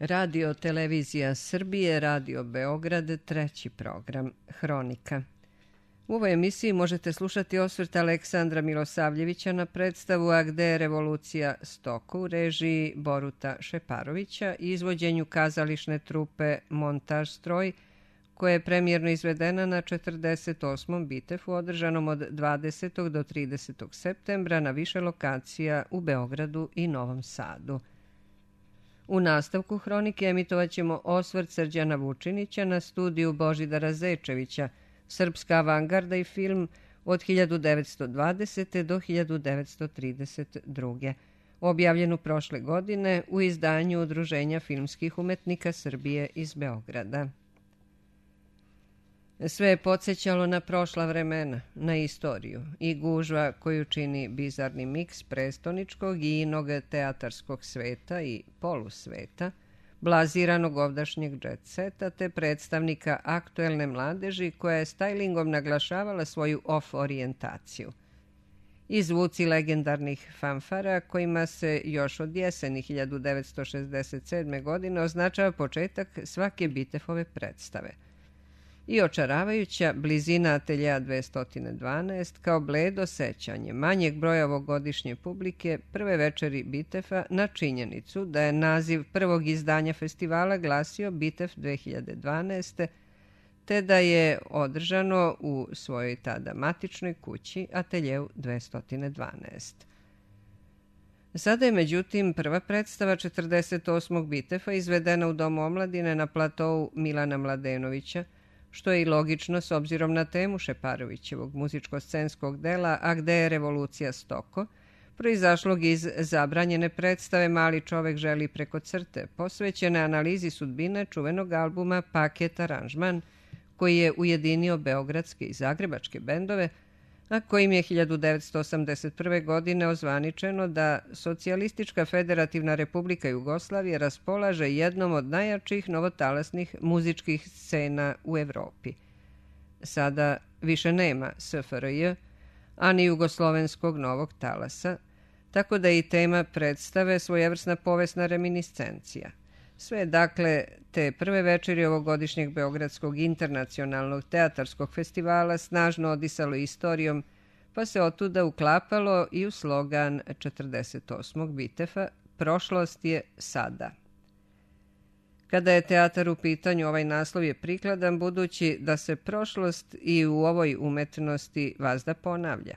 Radio Televizija Srbije, Radio Beograd, treći program, Hronika. U ovoj emisiji možete slušati osvrt Aleksandra Milosavljevića na predstavu A gde je revolucija Stoko u režiji Boruta Šeparovića i izvođenju kazališne trupe Montaž stroj, koja je premijerno izvedena na 48. Bitefu održanom od 20. do 30. septembra na više lokacija u Beogradu i Novom Sadu. U nastavku hronike emitovat ćemo osvrt Srđana Vučinića na studiju Božidara Zečevića, Srpska avangarda i film od 1920. do 1932. objavljenu prošle godine u izdanju Udruženja filmskih umetnika Srbije iz Beograda. Sve je podsjećalo na prošla vremena, na istoriju i gužva koju čini bizarni miks prestoničkog i inog teatarskog sveta i polusveta, blaziranog ovdašnjeg jet seta te predstavnika aktuelne mladeži koja je stylingom naglašavala svoju off orijentaciju. I zvuci legendarnih fanfara kojima se još od jeseni 1967. godine označava početak svake Bitefove predstave. I očaravajuća blizina ateljeja 212 kao bledo sećanje manjeg broja ovogodišnje publike prve večeri Bitefa na činjenicu da je naziv prvog izdanja festivala glasio Bitef 2012. te da je održano u svojoj tada matičnoj kući ateljeju 212. Sada je međutim prva predstava 48. Bitefa izvedena u Domu omladine na platou Milana Mladenovića, što je i logično s obzirom na temu Šeparovićevog muzičko-scenskog dela A gde je revolucija Stoko, proizašlog iz zabranjene predstave Mali čovek želi preko crte, posvećene analizi sudbine čuvenog albuma Paket aranžman, koji je ujedinio beogradske i zagrebačke bendove, a kojim je 1981. godine ozvaničeno da Socijalistička federativna republika Jugoslavije raspolaže jednom od najjačih novotalasnih muzičkih scena u Evropi. Sada više nema SFRJ, a ni jugoslovenskog novog talasa, tako da je i tema predstave svojevrsna povesna reminiscencija. Sve dakle te prve večeri ovogodišnjeg Beogradskog internacionalnog teatarskog festivala snažno odisalo istorijom, pa se otuda uklapalo i u slogan 48. Bitefa "Prošlost je sada". Kada je teatar u pitanju, ovaj naslov je prikladan budući da se prošlost i u ovoj umetnosti vazda ponavlja.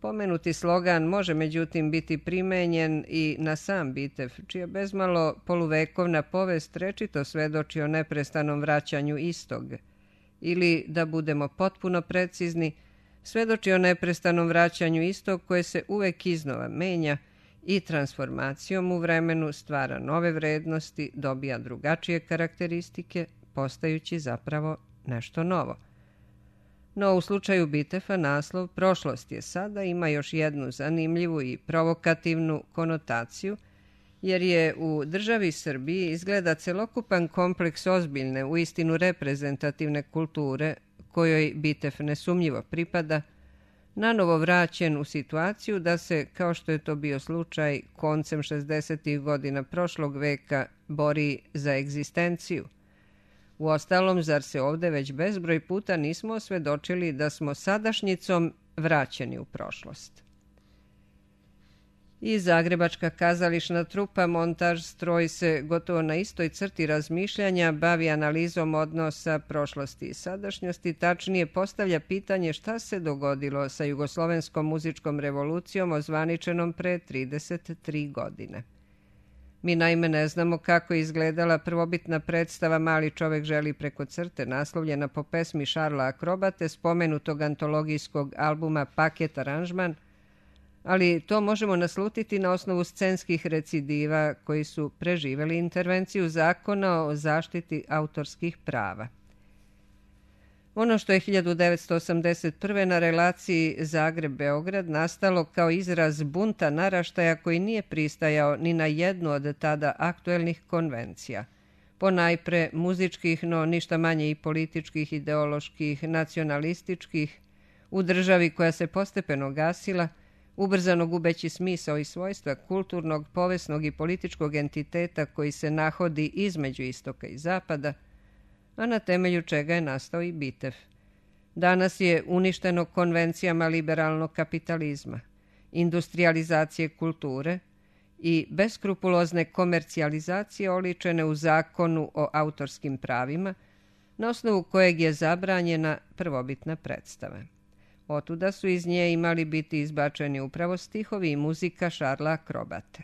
Pomenuti slogan može međutim biti primenjen i na sam Bitef, čija bezmalo poluvekovna povest rečito svedoči o neprestanom vraćanju istog. Ili, da budemo potpuno precizni, svedoči o neprestanom vraćanju istog koje se uvek iznova menja i transformacijom u vremenu stvara nove vrednosti, dobija drugačije karakteristike, postajući zapravo nešto novo. No u slučaju Bitefa naslov "Prošlost je sada" ima još jednu zanimljivu i provokativnu konotaciju, jer je u državi Srbiji izgleda celokupan kompleks ozbiljne, uistinu reprezentativne kulture, kojoj Bitef nesumnjivo pripada, nanovo vraćen u situaciju da se, kao što je to bio slučaj koncem 60. godina prošlog veka, bori za egzistenciju. Uostalom, zar se ovde već bezbroj puta nismo osvedočili da smo sadašnjicom vraćeni u prošlost? I zagrebačka kazališna trupa Montaž stroj se gotovo na istoj crti razmišljanja bavi analizom odnosa prošlosti i sadašnjosti, tačnije postavlja pitanje šta se dogodilo sa jugoslovenskom muzičkom revolucijom ozvaničenom pre 33 godine. Mi naime ne znamo kako je izgledala prvobitna predstava Mali čovek želi preko crte, naslovljena po pesmi Šarla Akrobate, spomenutog antologijskog albuma Paket aranžman, ali to možemo naslutiti na osnovu scenskih recidiva koji su preživeli intervenciju zakona o zaštiti autorskih prava. Ono što je 1981. na relaciji Zagreb-Beograd nastalo kao izraz bunta naraštaja koji nije pristajao ni na jednu od tada aktuelnih konvencija, ponajpre muzičkih, no ništa manje i političkih, ideoloških, nacionalističkih, u državi koja se postepeno gasila, ubrzano gubeći smisao i svojstva kulturnog, povesnog i političkog entiteta koji se nahodi između istoka i zapada, a na temelju čega je nastao i Bitev. Danas je uništeno konvencijama liberalnog kapitalizma, industrijalizacije kulture i beskrupulozne komercijalizacije oličene u zakonu o autorskim pravima, na osnovu kojeg je zabranjena prvobitna predstava. Otuda su iz nje imali biti izbačeni upravo stihovi i muzika Šarla Akrobate.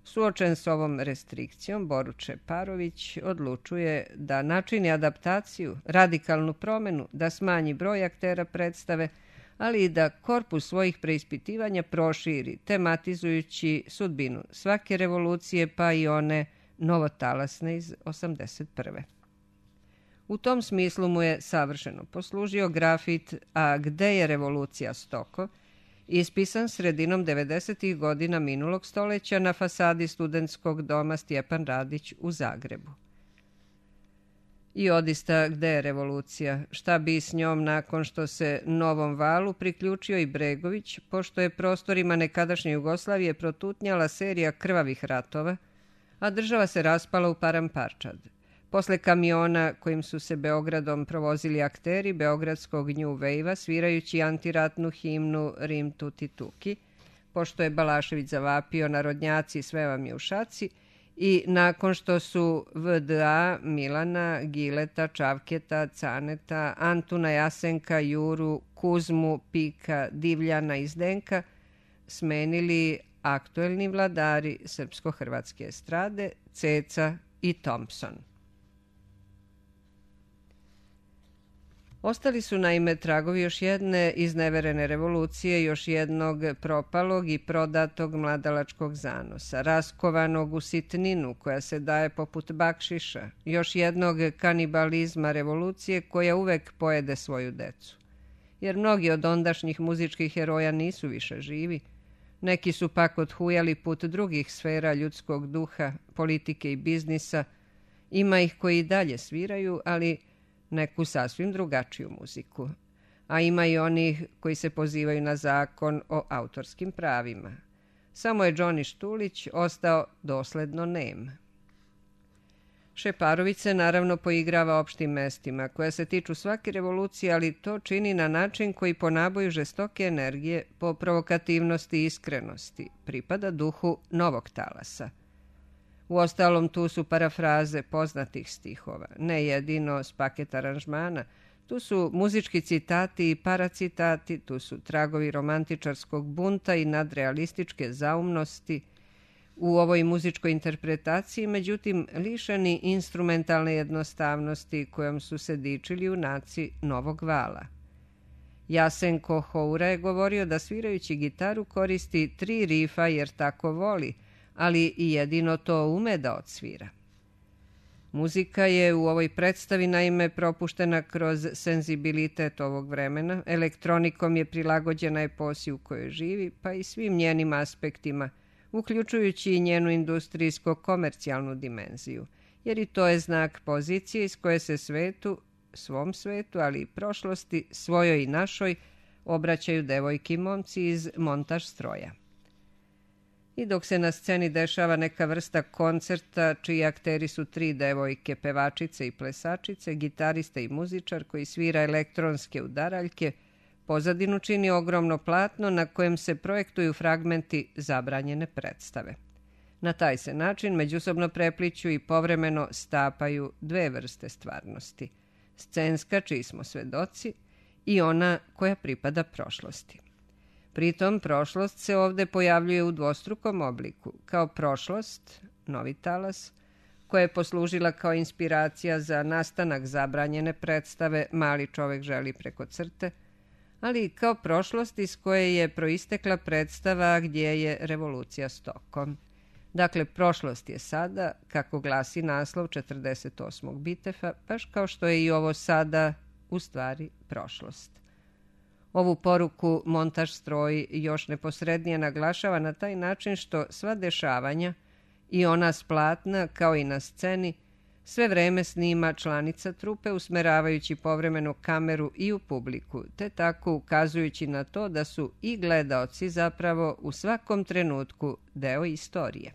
Suočen s ovom restrikcijom, Borut Šeparović odlučuje da načini adaptaciju, radikalnu promenu, da smanji broj aktera predstave, ali i da korpus svojih preispitivanja proširi, tematizujući sudbinu svake revolucije, pa i one novotalasne iz 81. U tom smislu mu je savršeno poslužio grafit A gde je revolucija Stoko, ispisan sredinom 90. godina minulog stoleća na fasadi studentskog doma Stjepan Radić u Zagrebu. I odista, gde je revolucija? Šta bi s njom nakon što se novom valu priključio i Bregović, pošto je prostorima nekadašnje Jugoslavije protutnjala serija krvavih ratova, a država se raspala u paramparčad. Posle kamiona kojim su se Beogradom provozili akteri beogradskog New Wave-a svirajući antiratnu himnu Rim tuti tuki, pošto je Balašević zavapio narodnjaci sve vam je u šaci, i nakon što su VDA, Milana, Gileta, Čavketa, Caneta, Antuna, Jasenka, Juru, Kuzmu, Pika, Divljana i Zdenka smenili aktuelni vladari srpsko-hrvatske estrade, Ceca i Thompson. Ostali su naime tragovi još jedne izneverene revolucije, još jednog propalog i prodatog mladalačkog zanosa, raskovanog u sitninu koja se daje poput bakšiša, još jednog kanibalizma revolucije koja uvek pojede svoju decu. Jer mnogi od ondašnjih muzičkih heroja nisu više živi, neki su pak odhujali put drugih sfera ljudskog duha, politike i biznisa, ima ih koji i dalje sviraju, ali neku sasvim drugačiju muziku, a ima i onih koji se pozivaju na zakon o autorskim pravima. Samo je Džoni Štulić ostao dosledno nem. Šeparović se naravno poigrava opštim mestima, koja se tiču svake revolucije, ali to čini na način koji po naboju žestoke energije, po provokativnosti i iskrenosti, pripada duhu novog talasa. Uostalom, tu su parafraze poznatih stihova, ne jedino s paket aranžmana, tu su muzički citati i paracitati, tu su tragovi romantičarskog bunta i nadrealističke zaumnosti u ovoj muzičkoj interpretaciji, međutim, lišeni instrumentalne jednostavnosti kojom su se dičili junaci novog vala. Jasenko Houra je govorio da svirajući gitaru koristi 3 rifa jer tako voli, ali i jedino to ume da odsvira. Muzika je u ovoj predstavi naime propuštena kroz senzibilitet ovog vremena, elektronikom je prilagođena eposi u kojoj živi, pa i svim njenim aspektima, uključujući i njenu industrijsko-komercijalnu dimenziju, jer i to je znak pozicije iz koje se svom svetu, ali i prošlosti, svojoj i našoj, obraćaju devojki i momci iz montaž stroja. I dok se na sceni dešava neka vrsta koncerta čiji akteri su 3 devojke, pevačice i plesačice, gitarista i muzičar koji svira elektronske udaraljke, pozadinu čini ogromno platno na kojem se projektuju fragmenti zabranjene predstave. Na taj se način međusobno prepliću i povremeno stapaju 2 vrste stvarnosti. Scenska, čiji smo svedoci, i ona koja pripada prošlosti. Pritom, prošlost se ovde pojavljuje u dvostrukom obliku, kao prošlost, novi talas, koja je poslužila kao inspiracija za nastanak zabranjene predstave Mali čovek želi preko crte, ali i kao prošlost iz koje je proistekla predstava Gdje je revolucija Stokom. Dakle, prošlost je sada, kako glasi naslov 48. Bitefa, baš kao što je i ovo sada u stvari prošlost. Ovu poruku montaž stroj još neposrednije naglašava na taj način što sva dešavanja, i ona s platna kao i na sceni, sve vreme snima članica trupe usmeravajući povremeno kameru i u publiku, te tako ukazujući na to da su i gledaoci zapravo u svakom trenutku deo istorije.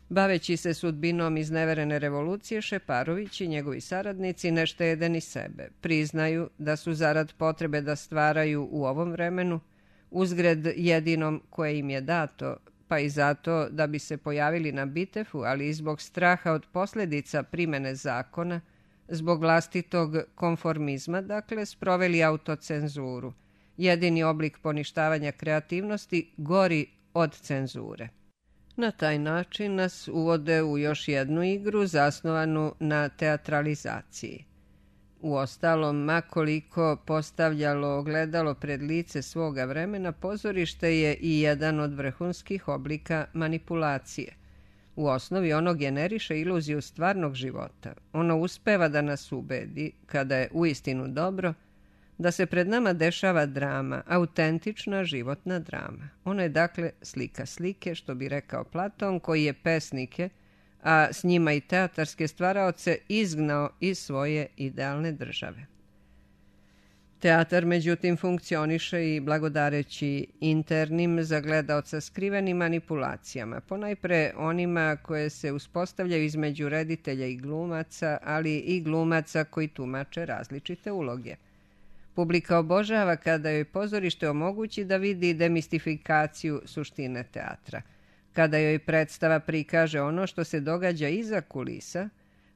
Baveći se sudbinom izneverene revolucije, Šeparović i njegovi saradnici ne štede ni sebe. Priznaju da su zarad potrebe da stvaraju u ovom vremenu, uzgred jedinom koje im je dato, pa i zato da bi se pojavili na Bitefu, ali i zbog straha od posljedica primene zakona, zbog vlastitog konformizma, dakle, sproveli autocenzuru, jedini oblik poništavanja kreativnosti gori od cenzure. Na taj način nas uvode u još jednu igru zasnovanu na teatralizaciji. Uostalom, makoliko postavljalo ogledalo pred lice svoga vremena, pozorište je i jedan od vrhunskih oblika manipulacije. U osnovi ono generiše iluziju stvarnog života. Ono uspeva da nas ubedi, kada je uistinu dobro, da se pred nama dešava drama, autentična životna drama. Ono je dakle slika slike, što bi rekao Platon, koji je pesnike, a s njima i teatarske stvaraoce, izgnao iz svoje idealne države. Teatar, međutim, funkcioniše i blagodareći internim za gledaoca skrivenim manipulacijama, ponajpre onima koje se uspostavljaju između reditelja i glumaca, ali i glumaca koji tumače različite uloge. Publika obožava kada joj pozorište omogući da vidi demistifikaciju suštine teatra, kada joj predstava prikaže ono što se događa iza kulisa,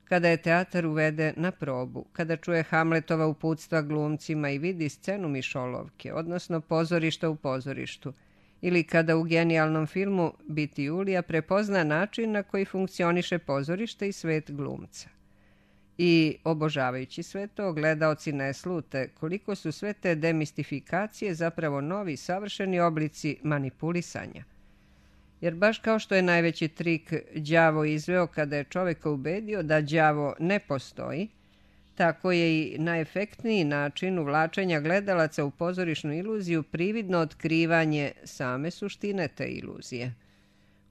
kada je teatar uvede na probu, kada čuje Hamletova uputstva glumcima i vidi scenu mišolovke, odnosno pozorišta u pozorištu, ili kada u genijalnom filmu Biti Julija prepozna način na koji funkcioniše pozorište i svet glumca. I, obožavajući sve to, gledaoci ne slute koliko su sve te demistifikacije zapravo novi, savršeni oblici manipulisanja. Jer baš kao što je najveći trik đavo izveo kada je čoveka ubedio da đavo ne postoji, tako je i najefektniji način uvlačenja gledalaca u pozorišnu iluziju prividno otkrivanje same suštine te iluzije.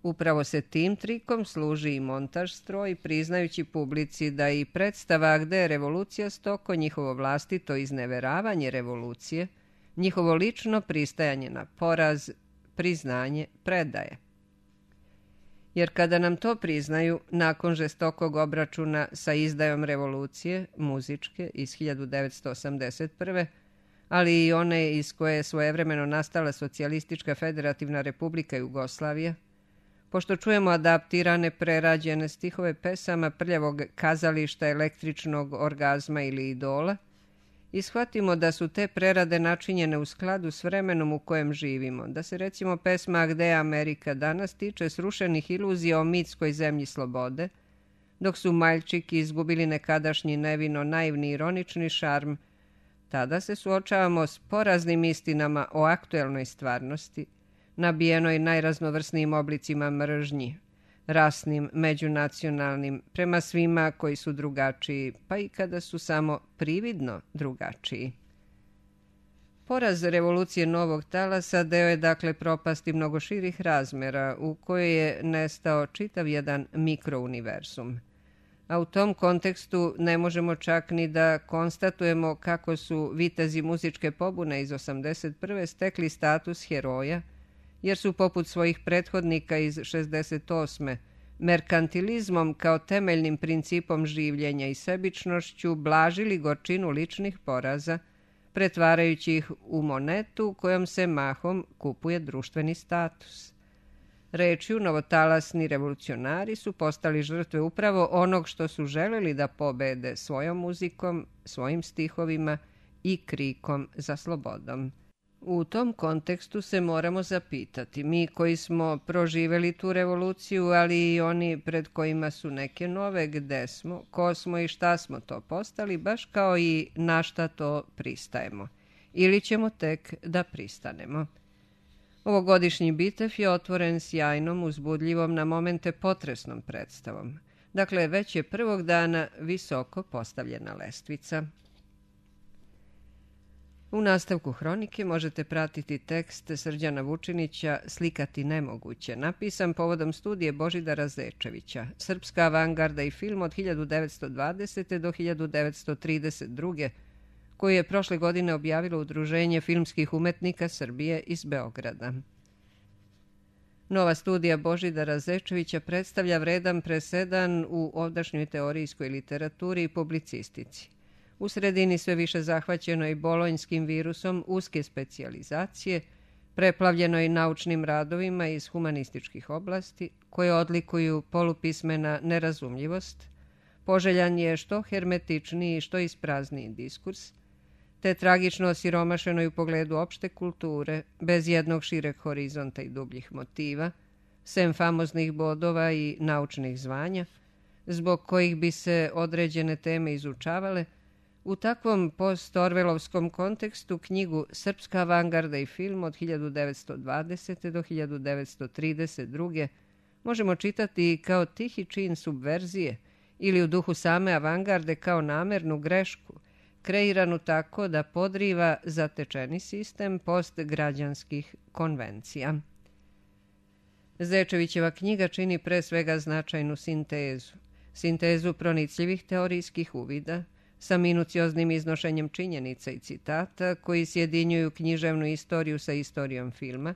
Upravo se tim trikom služi i montaž stroj, priznajući publici da i predstava gde je revolucija stoko, njihovo vlastito izneveravanje revolucije, njihovo lično pristajanje na poraz, priznanje, predaje. Jer kada nam to priznaju, nakon žestokog obračuna sa izdajom revolucije, muzičke, iz 1981. ali i one iz koje je svojevremeno nastala Socijalistička federativna republika Jugoslavija, pošto čujemo adaptirane, prerađene stihove pesama prljavog kazališta, električnog orgazma ili idola, i shvatimo da su te prerade načinjene u skladu s vremenom u kojem živimo, da se recimo pesma Gde je Amerika danas tiče srušenih iluzija o mitskoj zemlji slobode, dok su Maljčiki izgubili nekadašnji nevino naivni ironični šarm, tada se suočavamo s poraznim istinama o aktuelnoj stvarnosti, nabijenoj najraznovrsnijim oblicima mržnji, rasnim, međunacionalnim, prema svima koji su drugačiji, pa i kada su samo prividno drugačiji. Poraz revolucije novog talasa deo je dakle propasti mnogo širih razmera u kojoj je nestao čitav jedan mikrouniverzum. A u tom kontekstu ne možemo čak ni da konstatujemo kako su vitezi muzičke pobune iz 81. stekli status heroja, jer su poput svojih prethodnika iz 68. merkantilizmom kao temeljnim principom življenja i sebičnošću blažili gorčinu ličnih poraza, pretvarajući ih u monetu kojom se mahom kupuje društveni status. Rečju, novotalasni revolucionari su postali žrtve upravo onog što su želeli da pobede svojom muzikom, svojim stihovima i krikom za slobodom. U tom kontekstu se moramo zapitati, mi koji smo proživeli tu revoluciju, ali i oni pred kojima su neke nove, gde smo, ko smo i šta smo to postali, baš kao i na šta to pristajemo. Ili ćemo tek da pristanemo. Ovogodišnji Bitev je otvoren sjajnom, uzbudljivom, na momente potresnom predstavom. Dakle, već je prvog dana visoko postavljena lestvica. U nastavku hronike možete pratiti tekst Srđana Vučinića Slikati nemoguće, napisan povodom studije Božidara Zečevića, Srpska avangarda i film od 1920. do 1932. koju je prošle godine objavilo Udruženje filmskih umetnika Srbije iz Beograda. Nova studija Božidara Zečevića predstavlja vredan presedan u ovdašnjoj teorijskoj literaturi i publicistici. U sredini sve više zahvaćenoj bolonjskim virusom uske specijalizacije, preplavljenoj naučnim radovima iz humanističkih oblasti, koje odlikuju polupismena nerazumljivost, poželjan je što hermetičniji, što isprazniji diskurs, te tragično osiromašenoj u pogledu opšte kulture, bez jednog šireg horizonta i dubljih motiva, sem famoznih bodova i naučnih zvanja, zbog kojih bi se određene teme izučavale. U takvom post-orvelovskom kontekstu knjigu Srpska avangarda i film od 1920. do 1932. možemo čitati kao tihi čin subverzije ili u duhu same avangarde kao namernu grešku, kreiranu tako da podriva zatečeni sistem postgrađanskih konvencija. Zečevićeva knjiga čini pre svega značajnu sintezu pronicljivih teorijskih uvida, sa minucioznim iznošenjem činjenica i citata koji sjedinjuju književnu istoriju sa istorijom filma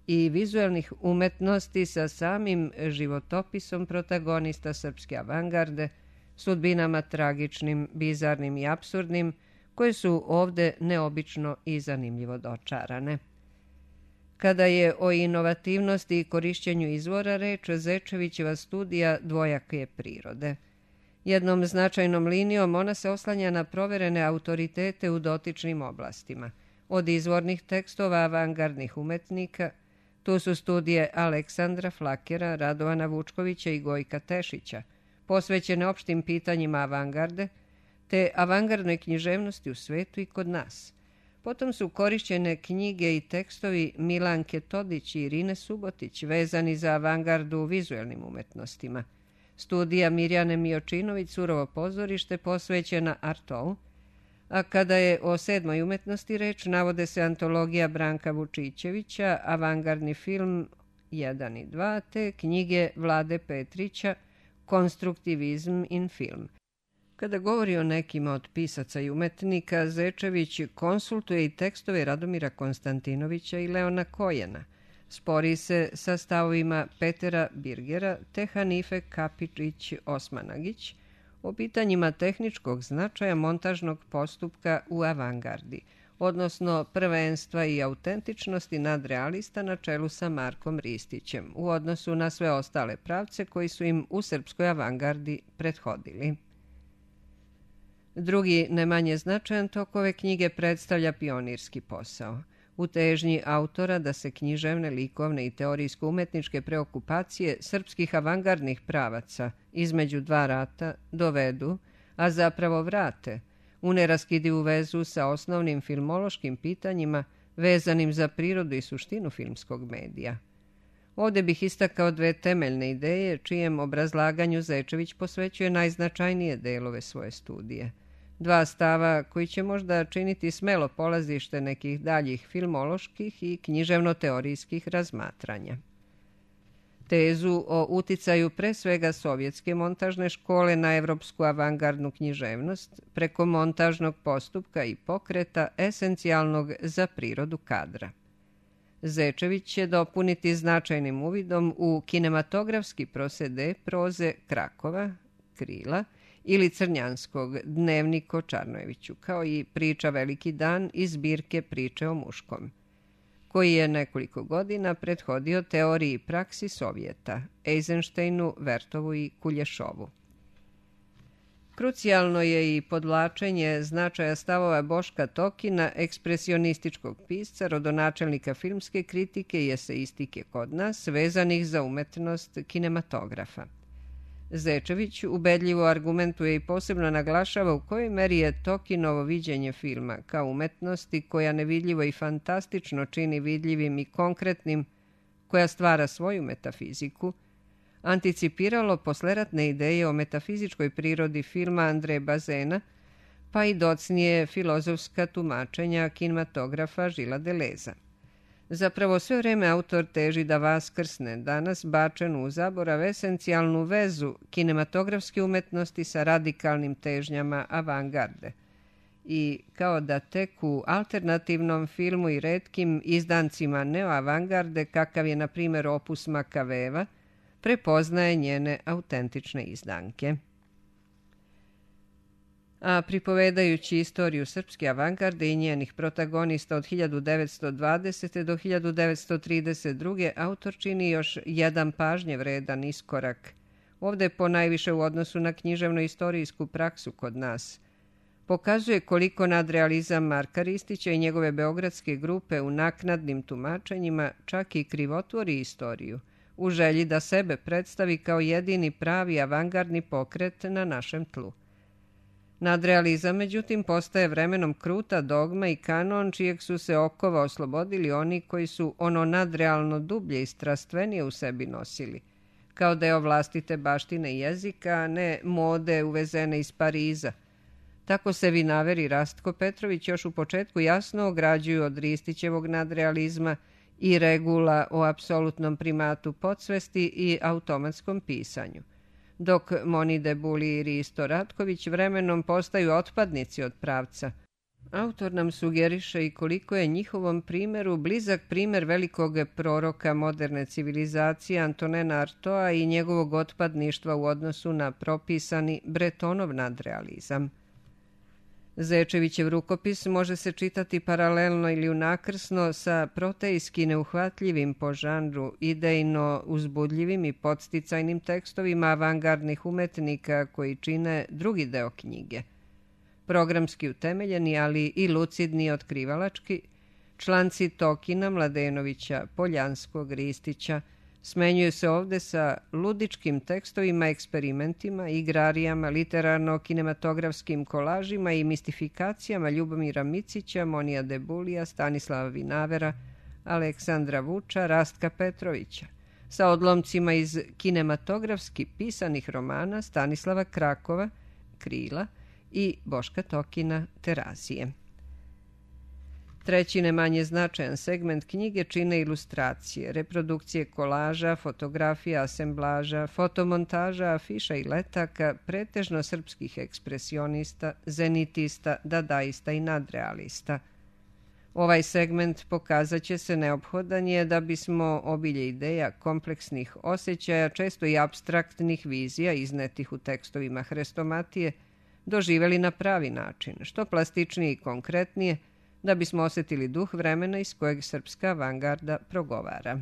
i vizuelnih umetnosti sa samim životopisom protagonista srpske avangarde, sudbinama tragičnim, bizarnim i apsurdnim, koje su ovde neobično i zanimljivo dočarane. Kada je o inovativnosti i korišćenju izvora reč, Zečevićeva studija dvojake prirode. Jednom značajnom linijom ona se oslanja na proverene autoritete u dotičnim oblastima. Od izvornih tekstova avangardnih umetnika, tu su studije Aleksandra Flakera, Radovana Vučkovića i Gojka Tešića, posvećene opštim pitanjima avangarde, te avangardnoj književnosti u svetu i kod nas. Potom su korišćene knjige i tekstovi Milanke Todić i Irine Subotić, vezani za avangardu u vizuelnim umetnostima. Studija Mirjane Miočinović Surovo pozorište posvećena Artou, a kada je o sedmoj umetnosti reč, navode se antologija Branka Vučićevića, avangardni film 1 i 2, te knjige Vlade Petrića, Konstruktivizm in film. Kada govori o nekima od pisaca i umetnika, Zečević konsultuje i tekstove Radomira Konstantinovića i Leona Kojena. Spori se sa stavovima Petera Birgera te Hanife Kapičić-Osmanagić o pitanjima tehničkog značaja montažnog postupka u avangardi, odnosno prvenstva i autentičnosti nadrealista na čelu sa Markom Ristićem u odnosu na sve ostale pravce koji su im u srpskoj avangardi prethodili. Drugi, ne manje značajan tok ove knjige predstavlja pionirski posao. U težnji autora da se književne, likovne i teorijsko-umetničke preokupacije srpskih avangardnih pravaca između dva rata dovedu, a zapravo vrate, u neraskidivu vezu sa osnovnim filmološkim pitanjima vezanim za prirodu i suštinu filmskog medija. Ovde bih istakao dve temeljne ideje, čijem obrazlaganju Zečević posvećuje najznačajnije delove svoje studije. Dva stava koji će možda činiti smelo polazište nekih daljih filmoloških i književno-teorijskih razmatranja. Tezu o uticaju pre svega sovjetske montažne škole na evropsku avangardnu književnost preko montažnog postupka i pokreta esencijalnog za prirodu kadra. Zečević će dopuniti značajnim uvidom u kinematografski prosede proze Krakova, Krila ili Crnjanskog Dnevnik o Čarnojeviću, kao i priča Veliki dan iz zbirke Priče o muškom, koji je nekoliko godina prethodio teoriji i praksi Sovjeta, Eisensteinu, Vertovu i Kulješovu. Krucijalno je i podvlačenje značaja stavova Boška Tokina, ekspresionističkog pisca, rodonačelnika filmske kritike i eseistike kod nas, vezanih za umetnost kinematografa. Zečević ubedljivo argumentuje i posebno naglašava u kojoj meri je Tokinovo viđenje filma kao umetnosti koja nevidljivo i fantastično čini vidljivim i konkretnim, koja stvara svoju metafiziku, anticipiralo posleratne ideje o metafizičkoj prirodi filma Andreja Bazena, pa i docnije filozofska tumačenja kinematografa Žila Deleza. Zapravo sve vreme autor teži da vaskrsne danas bačenu u zaborav esencijalnu vezu kinematografske umetnosti sa radikalnim težnjama avangarde. I kao da tek u alternativnom filmu i retkim izdancima neoavangarde, kakav je na primjer opus Makaveva, prepoznaje njene autentične izdanke. A pripovedajući istoriju srpske avangarde i njenih protagonista od 1920. do 1932. autor čini još jedan pažnje vredan iskorak, ovde ponajviše u odnosu na književno-istorijsku praksu kod nas. Pokazuje koliko nadrealizam Marka Ristića i njegove beogradske grupe u naknadnim tumačenjima čak i krivotvori istoriju, u želji da sebe predstavi kao jedini pravi avangardni pokret na našem tlu. Nadrealizam, međutim, postaje vremenom kruta dogma i kanon čijeg su se okova oslobodili oni koji su ono nadrealno dublje i strastvenije u sebi nosili, kao deo vlastite baštine jezika, a ne mode uvezene iz Pariza. Tako se Vinaver i Rastko Petrović još u početku jasno ograđuju od Ristićevog nadrealizma i regula o apsolutnom primatu podsvesti i automatskom pisanju, dok Moni Debuli i Risto Ratković vremenom postaju otpadnici od pravca. Autor nam sugeriše i koliko je njihovom primjeru blizak primjer velikog proroka moderne civilizacije Antonena Artoa i njegovog otpadništva u odnosu na propisani Bretonov nadrealizam. Zečevićev rukopis može se čitati paralelno ili unakrsno sa protejski neuhvatljivim po žanru, idejno uzbudljivim i podsticajnim tekstovima avangardnih umetnika koji čine drugi deo knjige. Programski utemeljeni, ali i lucidni i otkrivalački, članci Tokina, Mladenovića, Poljanskog, Ristića smenjuju se ovde sa ludičkim tekstovima, eksperimentima, igrarijama, literarno-kinematografskim kolažima i mistifikacijama Ljubomira Micića, Monija Debulija, Stanislava Vinavera, Aleksandra Vuča, Rastka Petrovića, sa odlomcima iz kinematografski pisanih romana Stanislava Krakova, Krila i Boška Tokina, Terazije. Treći, ne manje značajan segment knjige čine ilustracije, reprodukcije kolaža, fotografija, asemblaža, fotomontaža, afiša i letaka, pretežno srpskih ekspresionista, zenitista, dadaista i nadrealista. Ovaj segment pokazat će se neophodan je da bismo obilje ideja, kompleksnih osjećaja, često i apstraktnih vizija iznetih u tekstovima Hrestomatije, doživjeli na pravi način, što plastičnije i konkretnije, da bismo osjetili duh vremena iz kojeg srpska avangarda progovara.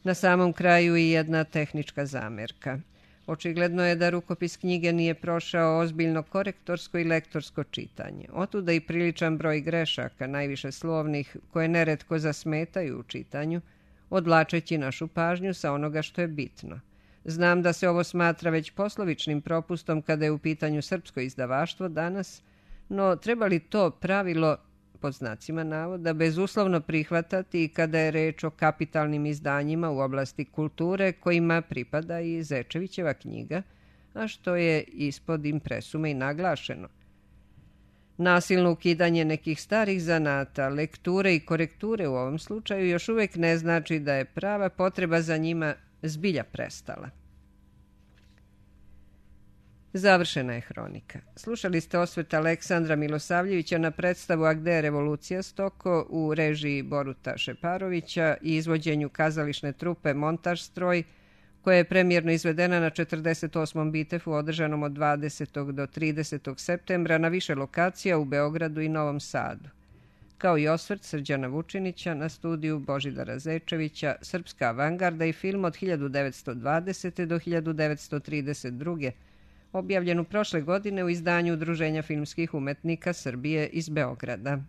Na samom kraju i jedna tehnička zamerka. Očigledno je da rukopis knjige nije prošao ozbiljno korektorsko i lektorsko čitanje. Otuda i priličan broj grešaka, najviše slovnih, koje neretko zasmetaju u čitanju, odvlačeći našu pažnju sa onoga što je bitno. Znam da se ovo smatra već poslovičnim propustom kada je u pitanju srpsko izdavaštvo danas, no treba li to pravilo, pod znacima navoda, bezuslovno prihvatati i kada je reč o kapitalnim izdanjima u oblasti kulture kojima pripada i Zečevićeva knjiga, a što je ispod impresume i naglašeno. Nasilno ukidanje nekih starih zanata, lekture i korekture u ovom slučaju još uvijek ne znači da je prava potreba za njima zbilja prestala. Završena je hronika. Slušali ste osvrt Aleksandra Milosavljevića na predstavu A gde je revolucija Stoko u režiji Boruta Šeparovića i izvođenju kazališne trupe Montaž stroj, koja je premijerno izvedena na 48. Bitefu održanom od 20. do 30. septembra na više lokacija u Beogradu i Novom Sadu, kao i osvrt Srđana Vučinića na studiju Božidara Zečevića, Srpska avangarda i film od 1920. do 1932. objavljenu prošle godine u izdanju Udruženja filmskih umetnika Srbije iz Beograda.